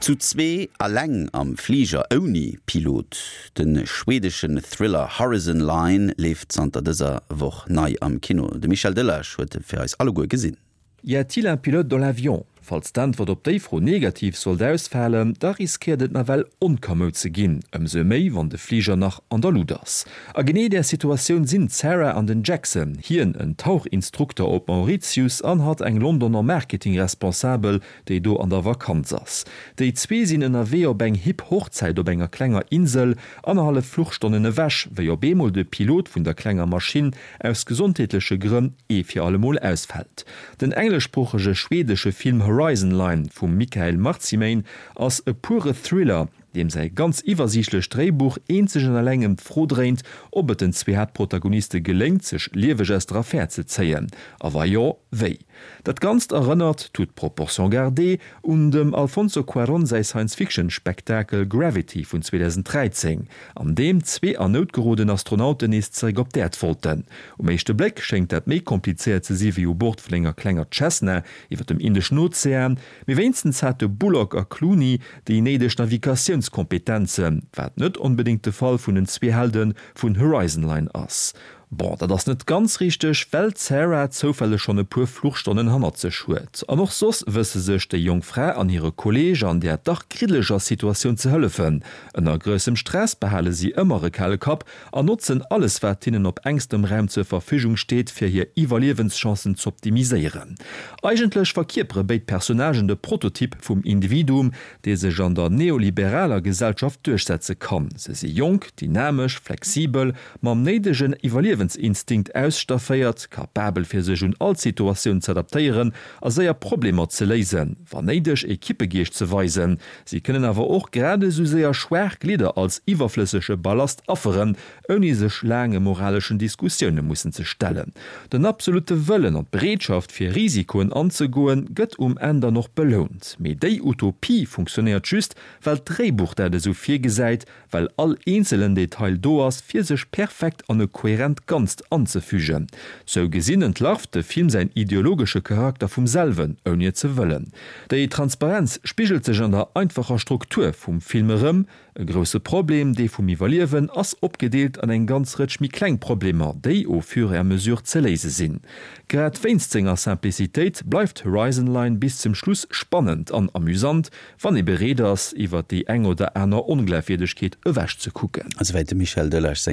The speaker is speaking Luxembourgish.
Zu zwee alleng am Fliger ouni Pilot, De schweedeschen Thriller Horizon Line leeft zanter dëser Woch nei am Kino. De Michel Delage huet e fir eis alleguer gesinn. Y a-t-il un pilote dans l'avion? Falls d'Äntwert op déi Fro negativ sollt ausfalen, da riskéiert et nawell onkamoud ze ginn, ëmsou méi wann de Fliger nach an der Lut ass. A genee där Situatioun sinn d'Sarah an den Jackson, hien en Tauchinstrukter op Mauritius an hatt eng Londoner Marketing-Responsabel, déi do an der Vakanz ass. Déi zwee sinn ënnerwee op eng hipp Hochzäit op enger klenger Insel, annerhallef Fluchstonnen ewech, wéi op eemol de Pilot vun der klenger Maschinn aus gesondheetleche Grënn ee fir allemol ausfält. Den engleschsproochege schweedesche Film Horizon Line vum Mikael Marcimain ass e pure Thriller, deem säi ganz iwwersiichtlecht Dréibuch eenzeg an eleng ëm d'Fro dréint, ob et den zwee Haaptprotagoniste geléngt, sech lieweg aus der Affär ze zéien, a wa jo, wéi. Dat Ganzt erënnert, toute proportion gardée, un dem Alfonso Cuarón säi Science-Fiction-Spektakel Gravity vun 2013, an deem zwee an Nout geroden Astronauten nees zeréck op d'Äerd wollten. Um éischte Bléck schéngt dat méi komplizéiert ze si wéi u Bord vun enger klenger Cessna iwwer dem Indeschen Ozean, mee wéinstens hate Bullock a Clooney déi néideg Navigatiounskompetenzen, wat net onbedéngt de Fall vun den zwee Helde vun Horizon Line ass. Bon, dat ass net ganz richteg, well d'Sarah zoufälleg schonn e puer Fluchstonnen hannert sech huet. An och soss wësse sech déi jonk Fra an hire Kolleeg an där dach kriddeleger Situatioun ze hëllefen. Ënner groussem Stress behale si ëmmer e kale Kapp an notzen alles wat hinnen op engstem Raum zur Verfügung steet, fir hir Iwwerliewenschancen z'optimiséieren. Eigentlech verkierpere béid Personnagen de Prototyp vum Individuum, dee sech an der neoliberaler Gesellschaft duerchsetze kann. Se si jonk, dynamesch, flexibel, mam néidegen Iwwerliewensinstinkt ausstafféiert, kapabel fir sech un all Situatioun z'adaptéieren a séier Problemer ze léisen, wa néideg Equippegeescht ze weisen. Si kënnen awer och grad esou séier schwaach Glidder als iwwerflëssege Ballast afferen, ouni sech laange moraleschen Diskussioune mussen ze stellen. Den absolutte Wëllen an d'Bereetschaft fir Risikoen anzegoen, gëtt um Enn dann och belount. Mee déi Utopie funktionéiert just, well d'Dréibuch dat esou virgesäit, well all eenzelen Detail do ass, fir sech perfekt an e kohärent Ganzt anzefügen. Sou gesinn entlarvt de Film säin ideologesche Charakter vum selwen, ouni et ze wëllen. Déi Transparenz spigelt sech an der einfacher Struktur vum Film erëm, E grousse Problem, dee vum Iwwerliewen, ass opgedeelt an eng ganz Rëtsch méi kleng Problemer, déi au fur et à mesure ze léise sinn. Grad wéinst senger Simplicitéit bleift Horizon Line bis zum Schluss spannend an amüsant, wann ee bereet ass, iwwer déi eng oder aner Onglafwierdegkeet ewech ze kucken. Esouwäit de Michel Delage.